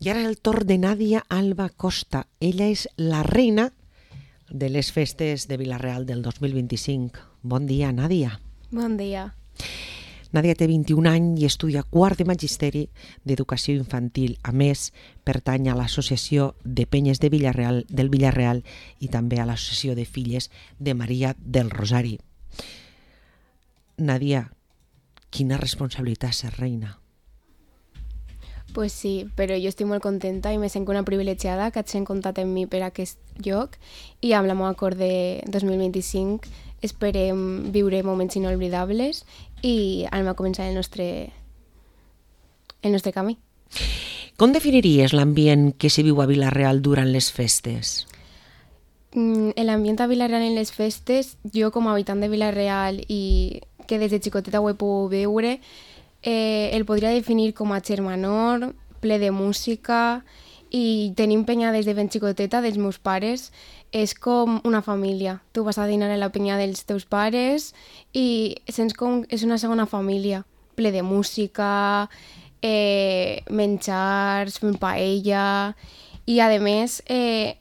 I ara és el torn de Nàdia Alba Costa. Ella és la reina de les festes de Vila-real del 2025. Bon dia, Nàdia. Bon dia. Nàdia té 21 anys i estudia quart de magisteri d'educació infantil. A més, pertany a l'associació de penyes del Vila-real i també a l'associació de filles de Maria del Rosari. Nàdia, quina responsabilitat ser reina. Pues sí, però jo estic molt contenta i me sento una privilegiada que hagin comptat amb mi per aquest lloc i amb la meva acord de 2025 esperem viure moments inolvidables i anem a començar el nostre camí. Com definiries l'ambient que s'hi viu a Vila-real durant les festes? L'ambient a Vila-real en les festes, jo com a habitant de Vila-real i que des de xicoteta ho he pogut veure, el podria definir com a germanor, ple de música i tenim penya des de ben xicoteta dels meus pares. És com una família. Tu vas a dinar a la penya dels teus pares i sents com és una segona família, ple de música, menjars, fent paella i a més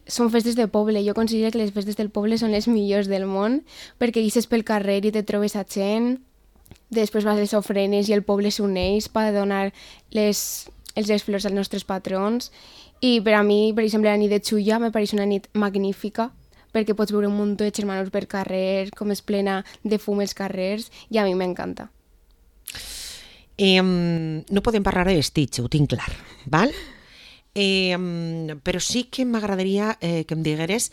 són festes de poble. Jo considero que les festes del poble són les millors del món perquè ixes pel carrer i te trobes a gent. Després vas a les ofrenes i el poble s'uneix per donar les flors als nostres patrons. I per a mi, per exemple, la nit de Xulla me pareix una nit magnífica perquè pots veure un munt de germanos per carrer, com és plena de fum els carrers, i a mi m'encanta. No podem parlar de vestits, ho tinc clar, val? Però sí que m'agradaria que em digueres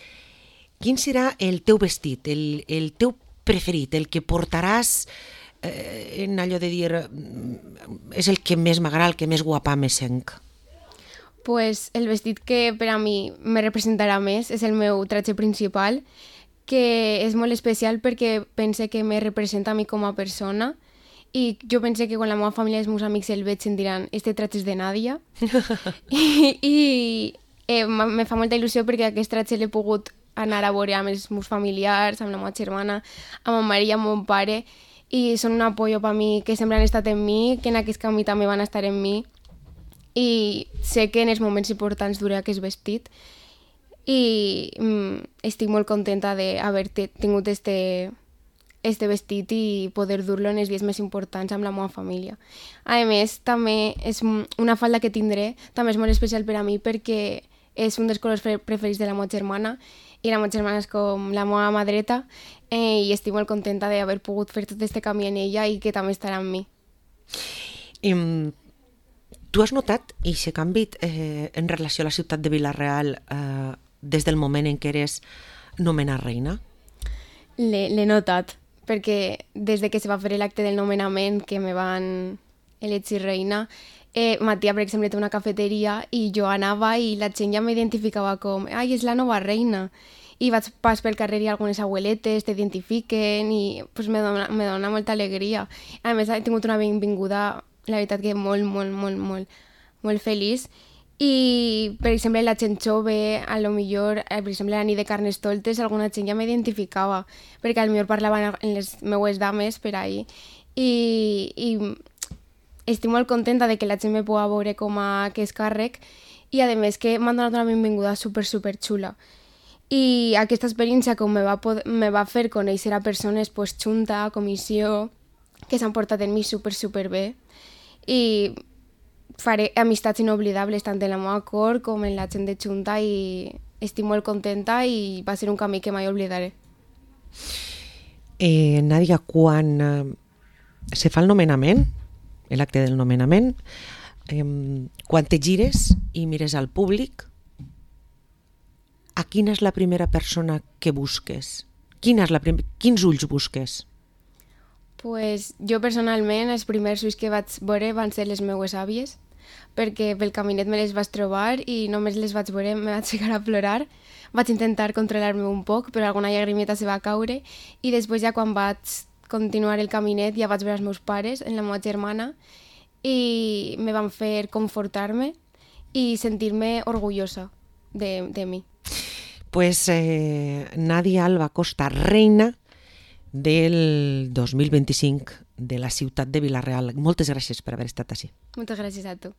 quin serà el teu vestit, el teu preferit, el que portaràs en allò de dir és el que més m'agrada, el que més guapa me sent. Pues el vestit que per a mi me representarà més és el meu tratge principal, que és molt especial perquè pense que me representa a mi com a persona i jo pense que quan la meva família i els meus amics el veig em diran este tratge és de Nàdia i me fa molta il·lusió perquè aquest tratge l'he pogut anar a veure amb els meus familiars, amb la meva germana, amb ma mare i amb mon pare i són un apoyo per mi que sempre han estat en mi, que en aquest camí també van estar en mi i sé que en els moments importants duré aquest vestit i estic molt contenta d'haver tingut este vestit i poder dur-lo en els dies més importants amb la meva família. A més, també és una falda que tindré, també és molt especial per a mi perquè és un dels colors preferits de la meva germana i la meva germana és com la meva mà dreta i estic molt contenta d'haver pogut fer tot aquest camí en ella i que també estarà amb mi. Tu has notat aquest canvi en relació a la ciutat de Vila-real des del moment en què eres nomenada reina? L'he notat, perquè des de que se va fer l'acte del nomenament que me van elegir reina, Matia, per exemple, té una cafeteria i jo anava i la gent ja m'identificava com «Ai, és la nova reina». I vaig pas pel carrer i algunes abueletes t'identifiquen i pues, me dona molta alegria. A més, he tingut una benvinguda, la veritat que molt feliç. I, per exemple, la gent jove, a lo millor, per exemple, la nit de Carnestoltes, alguna gent ja m'identificava, perquè a lo millor parlaven en les meues dames per ahí. I estic molt contenta de que la gent me pugui veure com a aquest càrrec i, a més, que m'han donat una benvinguda super xula. I aquesta experiència com me va fer conèixer a persones pues, junta, comissió, que s'han portat en mi super bé i faré amistats inoblidables tant en la meva cor com en la gent de junta i estic molt contenta i va ser un camí que mai oblidaré. Nàdia, quan se fa el nomenament, l'acte del nomenament, quan te gires i mires al públic, a quina és la primera persona que busques? Quins ulls busques? Pues jo personalment els primers ulls que vaig veure van ser les meues àvies, perquè pel caminet me les vaig trobar i només les vaig veure me vaig ficar a plorar. Vaig intentar controlar-me un poc, però alguna llagrimeta se va caure i després ja quan vaig continuar el caminet ja vaig veure els meus pares, en la meva germana, i me van fer confortar-me i sentir-me orgullosa de mi. Pues Nàdia Alba Costa, reina del 2025 de la ciutat de Vila-real. Moltes gràcies per haver estat així. Moltes gràcies a tu.